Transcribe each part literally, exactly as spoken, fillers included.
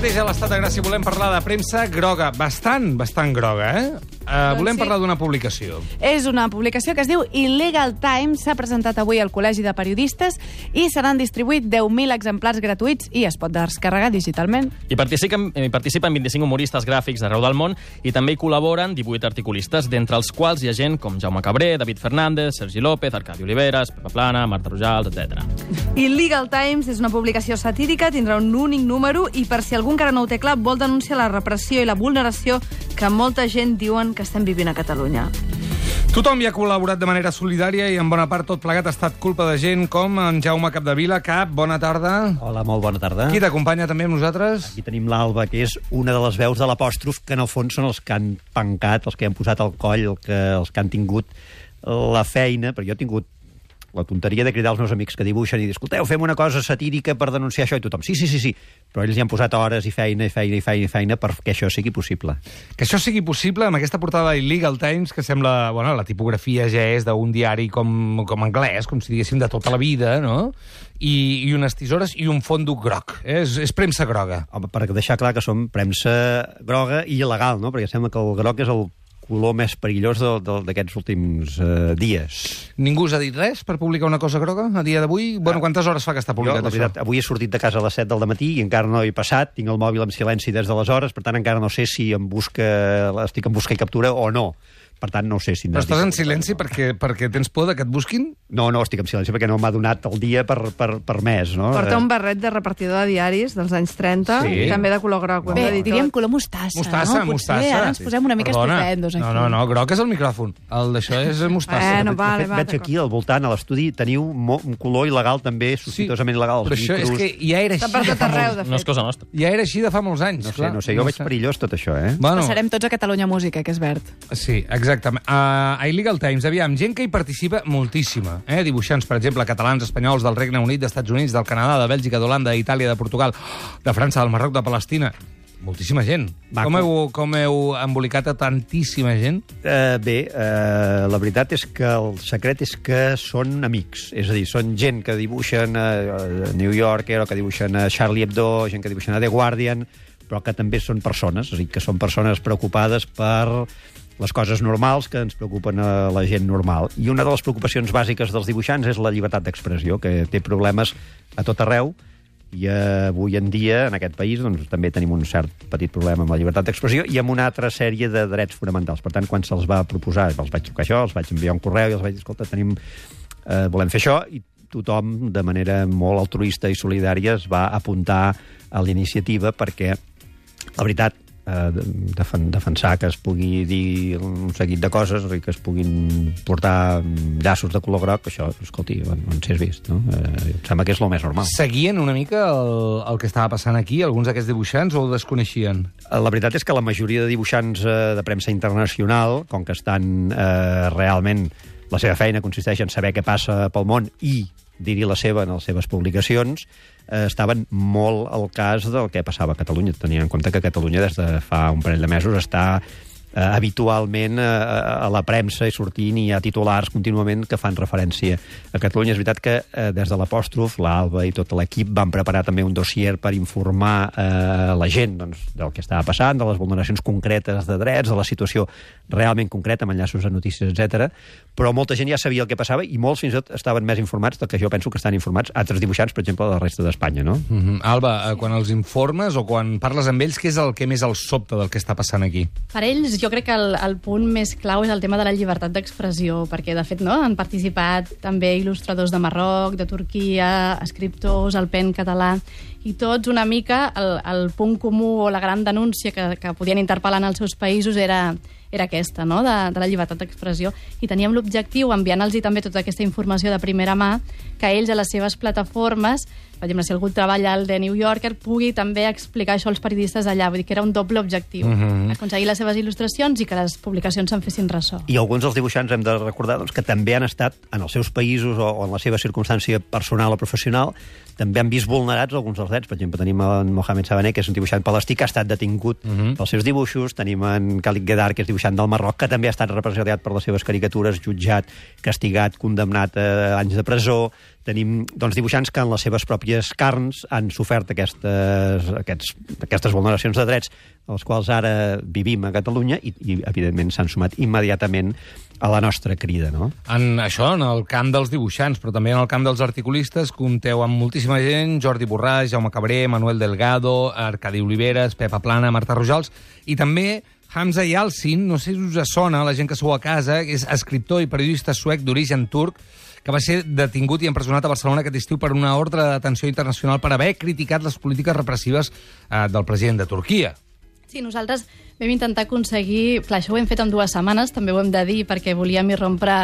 mateix a l'Estat de Gràcia volem parlar de premsa groga, bastant, bastant groga, eh? Uh, Doncs volem sí. parlar d'una publicació. És una publicació que es diu Illegal Times, s'ha presentat avui al Col·legi de Periodistes i se n'han distribuït deu mil exemplars gratuïts i es pot descarregar digitalment. Hi participen, hi participen vint-i-cinc humoristes gràfics d'arreu del món i també hi col·laboren divuit articulistes, d'entre els quals hi ha gent com Jaume Cabré, David Fernández, Sergi López, Arcadi Oliveres, Pepa Plana, Marta Rojals, etcètera. Illegal Times és una publicació satírica, tindrà un únic número i per si algú encara no ho té clar, vol denunciar la repressió i la vulneració que molta gent diuen que estem vivint a Catalunya. Tothom hi ha col·laborat de manera solidària i en bona part tot plegat ha estat culpa de gent com en Jaume Capdevila. Cap, bona tarda. Hola, molt bona tarda. Qui t'acompanya també amb nosaltres? Aquí tenim l'Alba, que és una de les veus de l'apòstrof, que en el fons són els que han pencat, els que han posat al coll, el que, els que han tingut la feina, perquè jo he tingut la tonteria de cridar als meus amics que dibuixen i dir, escolteu, fem una cosa satírica per denunciar això, i tothom, sí, sí, sí, sí, però ells hi han posat hores i feina i feina i feina i feina perquè això sigui possible. Que això sigui possible amb aquesta portada de Illegal Times, que sembla, bueno, la tipografia ja és d'un diari com, com anglès, com si diguéssim de tota la vida, no? I, i unes tisores i un fondo groc. Eh? És, és premsa groga. Home, per deixar clar que som premsa groga i il·legal, no? Perquè sembla que el groc és el color més perillós d'aquests últims uh, dies. Ningú us ha dit res per publicar una cosa groga a dia d'avui? Bueno, quantes hores fa que està publicat jo, la veritat, això? Avui he sortit de casa a les set del matí i encara no he passat, tinc el mòbil en silenci des d'aleshores, per tant encara no sé si em busca, estic en busca i captura o no. Per tant, no sé si... Però estàs en silenci perquè, perquè tens por de que et busquin? No, no, estic en silenci perquè no m'ha donat el dia per, per, per més, no? Porta un barret de repartidor de diaris dels anys trenta, Sí. i també de color groc. ho hem Bé, de dir diríem tot. color mostassa, Mostassa, no? Potser mostassa. ara ens posem una mica Perdona. estupendos aquí. No, no, no, groc és el micròfon. El d'això és mostassa. Bueno, De vale, fet, va, veig aquí al voltant, a l'estudi, teniu mo- un color il·legal també, sospitosament il·legal. Però els això és micros. que ja era Està així per de tot fa arreu, molts... de No és fet. cosa nostra. Ja era així de fa molts anys. No sé, clar. no sé, jo veig perillós tot això, eh? Bueno, Passarem tots a Catalunya Música, que és verd. sí, exactament. Uh, a Illegal Times, aviam, gent que hi participa moltíssima. Eh? Dibuixants, per exemple, catalans, espanyols, del Regne Unit, dels Estats Units, del Canadà, de Bèlgica, d'Holanda, d'Itàlia, de Portugal, de França, del Marroc, de Palestina. Moltíssima gent. Maco. Com heu, com heu embolicat a tantíssima gent? Uh, bé, uh, la veritat és que el secret és que són amics. És a dir, són gent que dibuixen a New Yorker o que dibuixen a Charlie Hebdo, gent que dibuixen a The Guardian, però que també són persones, és a dir, que són persones preocupades per les coses normals que ens preocupen a la gent normal. I una de les preocupacions bàsiques dels dibuixants és la llibertat d'expressió, que té problemes a tot arreu, i avui en dia, en aquest país, doncs, també tenim un cert petit problema amb la llibertat d'expressió i amb una altra sèrie de drets fonamentals. Per tant, quan se'ls va proposar, els vaig trucar això, els vaig enviar un correu i els vaig dir, escolta, tenim, eh, volem fer això, i tothom, de manera molt altruista i solidària, es va apuntar a la iniciativa perquè, la veritat, eh, defen defensar que es pugui dir un seguit de coses i que es puguin portar llaços de color groc, això, escolti, on, on s'hi has vist, no? Eh, em sembla que és el més normal. Seguien una mica el, el que estava passant aquí, alguns d'aquests dibuixants, o ho desconeixien? La veritat és que la majoria de dibuixants eh, de premsa internacional, com que estan eh, realment... La seva feina consisteix en saber què passa pel món i dir-hi la seva en les seves publicacions, eh, estaven molt al cas del que passava a Catalunya, tenint en compte que Catalunya des de fa un parell de mesos està eh, habitualment eh, a la premsa i sortint i hi ha titulars contínuament que fan referència a Catalunya. És veritat que eh, des de l'apòstrof, l'Alba i tot l'equip van preparar també un dossier per informar eh, la gent doncs, del que estava passant, de les vulneracions concretes de drets, de la situació realment concreta, amb enllaços a notícies, etcètera. Però molta gent ja sabia el que passava i molts fins i tot estaven més informats del que jo penso que estan informats altres dibuixants, per exemple, de la resta d'Espanya, no? Mm -hmm. Alba, eh, quan els informes o quan parles amb ells, què és el que més els sobta del que està passant aquí? Per ells, jo crec que el, el punt més clau és el tema de la llibertat d'expressió, perquè, de fet, no, han participat també il·lustradors de Marroc, de Turquia, escriptors, el Pen català, i tots una mica el, el punt comú o la gran denúncia que, que podien interpel·lar en els seus països era, era aquesta, no?, de, de la llibertat d'expressió. I teníem l'objectiu, enviant-los també tota aquesta informació de primera mà, que ells a les seves plataformes, per exemple, si algú treballa al The New Yorker, pugui també explicar això als periodistes d'allà. Vull dir que era un doble objectiu, Mhm. aconseguir les seves il·lustracions i que les publicacions se'n fessin ressò. I alguns dels dibuixants hem de recordar doncs, que també han estat en els seus països o, o en la seva circumstància personal o professional, també han vist vulnerats alguns dels drets. Per exemple, tenim en Mohamed Sabané, que és un dibuixant palestí que ha estat detingut Mhm. pels seus dibuixos, tenim en Khalid Gedar, que és dibuixant dibuixant del Marroc, que també ha estat represaliat per les seves caricatures, jutjat, castigat, condemnat a anys de presó. Tenim doncs, dibuixants que en les seves pròpies carns han sofert aquestes, aquests, aquestes vulneracions de drets, els quals ara vivim a Catalunya i, i evidentment, s'han sumat immediatament a la nostra crida, no? En això, en el camp dels dibuixants, però també en el camp dels articulistes, compteu amb moltíssima gent, Jordi Borràs, Jaume Cabré, Manuel Delgado, Arcadi Oliveres, Pepa Plana, Marta Rojals, i també Hamza Yalcin, no sé si us sona, la gent que sou a casa, és escriptor i periodista suec d'origen turc, que va ser detingut i empresonat a Barcelona aquest estiu per una ordre de detenció internacional per haver criticat les polítiques repressives eh, del president de Turquia. Sí, nosaltres vam intentar aconseguir... Clar, això ho hem fet en dues setmanes, també ho hem de dir, perquè volíem irrompre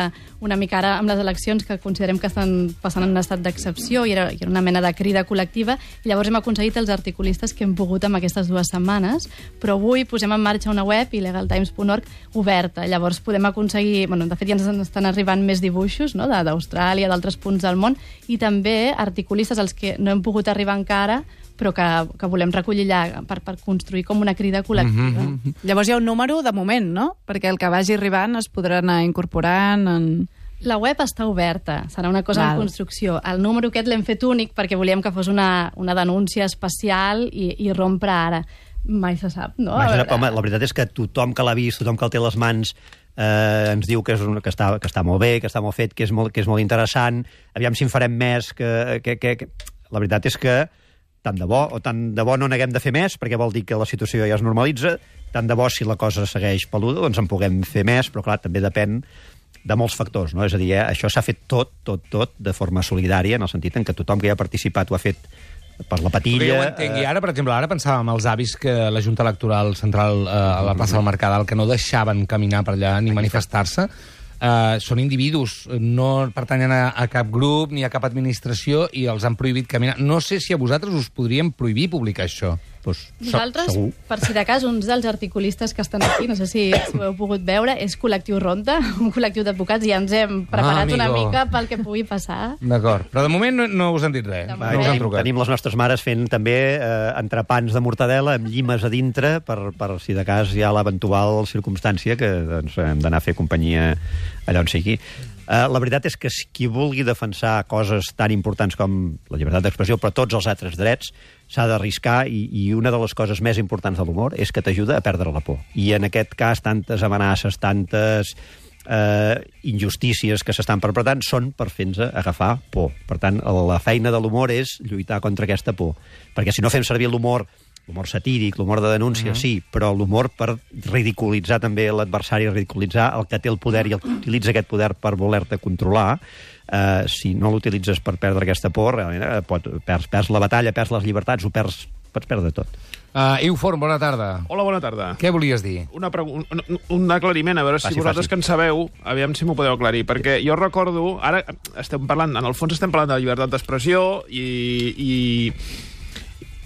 una mica ara amb les eleccions que considerem que estan passant en un estat d'excepció i era, i era una mena de crida col·lectiva, i llavors hem aconseguit els articulistes que hem pogut en aquestes dues setmanes, però avui posem en marxa una web, illegal times punt org, oberta. Llavors podem aconseguir... Bueno, de fet, ja ens estan arribant més dibuixos, no?, d'Austràlia, d'altres punts del món, i també articulistes als que no hem pogut arribar encara, però que, que volem recollir allà per, per construir com una crida col·lectiva. Mm-hmm. Llavors hi ha un número de moment, no? Perquè el que vagi arribant es podrà anar incorporant en... La web està oberta, serà una cosa Val. en construcció. El número aquest l'hem fet únic perquè volíem que fos una, una denúncia especial i, i rompre ara. Mai se sap, no? Imagina, home, la veritat és que tothom que l'ha vist, tothom que el té a les mans, eh, ens diu que, és un, que, està, que està molt bé, que està molt fet, que és molt, que és molt interessant. Aviam si en farem més. Que, que, que, que... La veritat és que tant de bo, o tant de bo no n'haguem de fer més, perquè vol dir que la situació ja es normalitza, tant de bo si la cosa segueix peluda, doncs en puguem fer més, però clar, també depèn de molts factors, no? És a dir, eh, això s'ha fet tot, tot, tot, de forma solidària, en el sentit en què tothom que hi ha participat ho ha fet per la patilla... Jo ho entenc, i ara, per exemple, ara pensàvem els avis que la Junta Electoral Central eh, a la plaça del Mercadal, que no deixaven caminar per allà ni manifestar-se, Uh, són individus, no pertanyen a, a cap grup ni a cap administració i els han prohibit caminar. No sé si a vosaltres us podríem prohibir publicar això. Pues, Nosaltres, segur. per si de cas, uns dels articulistes que estan aquí, no sé si, si ho heu pogut veure, és Col·lectiu Ronda, un col·lectiu d'advocats, i ja ens hem preparat Ah, una amigo. mica pel que pugui passar. D'acord, però de moment no, no us han dit res. De No moment. us han Tenim, trucat. tenim les nostres mares fent també eh, entrepans de mortadela amb llimes a dintre per, per si de cas hi ha l'eventual circumstància que doncs, hem d'anar a fer companyia allà on sigui. Uh, la veritat és que si qui vulgui defensar coses tan importants com la llibertat d'expressió, però tots els altres drets, s'ha d'arriscar, i, i una de les coses més importants de l'humor és que t'ajuda a perdre la por. I en aquest cas, tantes amenaces, tantes eh, injustícies que s'estan perpetrant són per fer-nos agafar por. Per tant, la feina de l'humor és lluitar contra aquesta por. Perquè si no fem servir l'humor, l'humor satíric, l'humor de denúncia, uh -huh. sí, però l'humor per ridiculitzar també l'adversari, ridiculitzar el que té el poder i el que utilitza aquest poder per voler-te controlar, eh, si no l'utilitzes per perdre aquesta por, realment eh, pot, perds, perds la batalla, perds les llibertats, ho perds, pots perdre tot. Uh, Iu Forn, bona tarda. Hola, bona tarda. Què volies dir? Una un, un, un aclariment, a veure si Faci, vosaltres faci. que en sabeu, aviam si m'ho podeu aclarir, perquè jo recordo, ara estem parlant, en el fons estem parlant de la llibertat d'expressió i, i,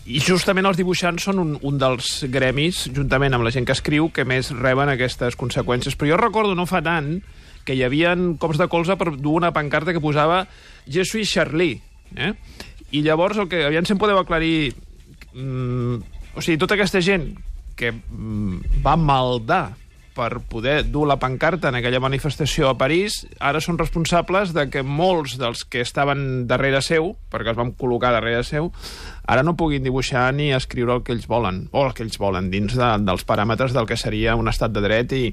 i justament els dibuixants són un, un dels gremis, juntament amb la gent que escriu, que més reben aquestes conseqüències. Però jo recordo no fa tant que hi havia cops de colze per dur una pancarta que posava Je suis Charlie, eh? I llavors el que aviam si em podeu aclarir... Mm, o sigui, tota aquesta gent que mm, va maldar per poder dur la pancarta en aquella manifestació a París, ara són responsables de que molts dels que estaven darrere seu, perquè els vam col·locar darrere seu, ara no puguin dibuixar ni escriure el que ells volen, o el que ells volen, dins de, dels paràmetres del que seria un estat de dret i,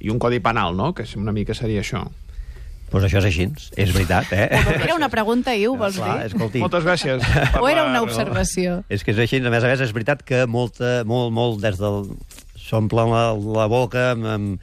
i un codi penal, no?, que una mica seria això. Doncs pues això és així, és veritat, eh? Era una pregunta, Iu, vols Clar, dir? escolti, Moltes gràcies. per O era la una raó. observació? és que és així, a més a més és veritat que molta, molt, molt des del... s'omplen la, la boca amb, amb,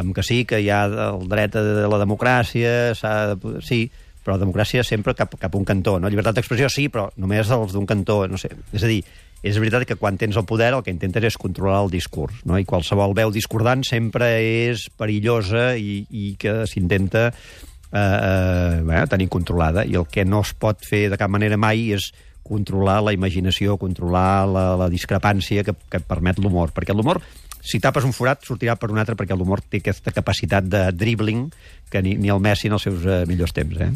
amb que sí, que hi ha el dret a la democràcia, s'ha de, sí, però la democràcia sempre cap, cap a un cantó, no? Llibertat d'expressió sí, però només els d'un cantó, no sé. És a dir, és veritat que quan tens el poder el que intentes és controlar el discurs, no? I qualsevol veu discordant sempre és perillosa i, i que s'intenta eh, eh, bueno, tenir controlada, i el que no es pot fer de cap manera mai és controlar la imaginació, controlar la, la discrepància que, que permet l'humor, perquè l'humor, si tapes un forat, sortirà per un altre, perquè l'humor té aquesta capacitat de dribbling que ni, ni el Messi en els seus eh, millors temps, eh?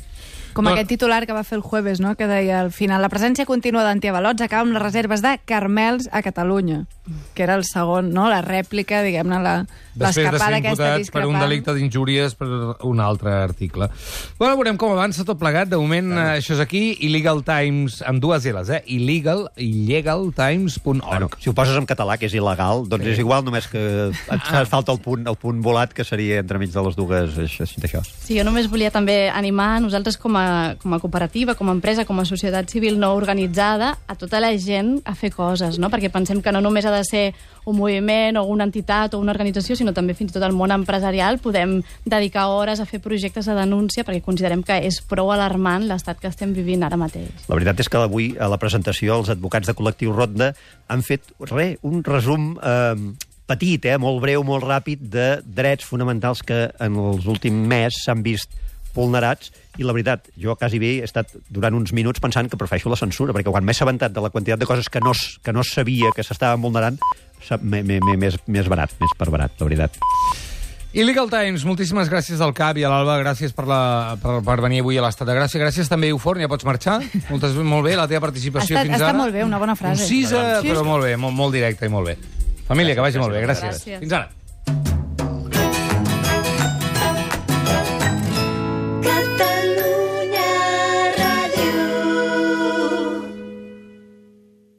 Com No. aquest titular que va fer el jueves, no? Que deia al final, la presència contínua d'antiavalots acaba amb les reserves de Carmels a Catalunya, que era el segon, no? La rèplica, diguem-ne, la- Després de l'escapada ser aquesta imputat per discrepant. un delicte d'injúries per un altre article. Bueno, veurem com avança tot plegat. De moment, eh, això és aquí. Illegal Times, amb dues L's, eh? Illegal, illegaltimes punt org. Bueno, si ho poses en català, que és il·legal, doncs és igual, només que et fa falta el punt, el punt volat, que seria entremig de les dues, això, això. Sí, jo només volia també animar nosaltres com a, com a cooperativa, com a empresa, com a societat civil no organitzada, a tota la gent a fer coses, no? Perquè pensem que no només ha de ser un moviment o una entitat o una organització, sinó també fins i tot el món empresarial podem dedicar hores a fer projectes de denúncia perquè considerem que és prou alarmant l'estat que estem vivint ara mateix. La veritat és que avui, a la presentació, els advocats de col·lectiu Ronda han fet, re, un resum eh, petit, eh, molt breu, molt ràpid, de drets fonamentals que en els últims mesos s'han vist vulnerats, i la veritat, jo quasi bé he estat durant uns minuts pensant que prefereixo la censura, perquè quan m'he assabentat de la quantitat de coses que no, s- que no sabia que s'estaven vulnerant, s'ha- m'he m'he- m'he- més, més barat, més per barat, la veritat. Illegal Times, moltíssimes gràcies al Cap i a l'Alba, gràcies per, la, per, per venir avui a l'Estat de Gràcia. Gràcies també, Euforn, ja pots marxar. Moltes, molt bé, la teva participació Està- fins està ara. molt bé, una bona frase. Concisa, Sí, però sí. molt bé, molt, molt directa i molt bé. Família, que vagi molt bé, gràcies. Gràcies. Fins ara.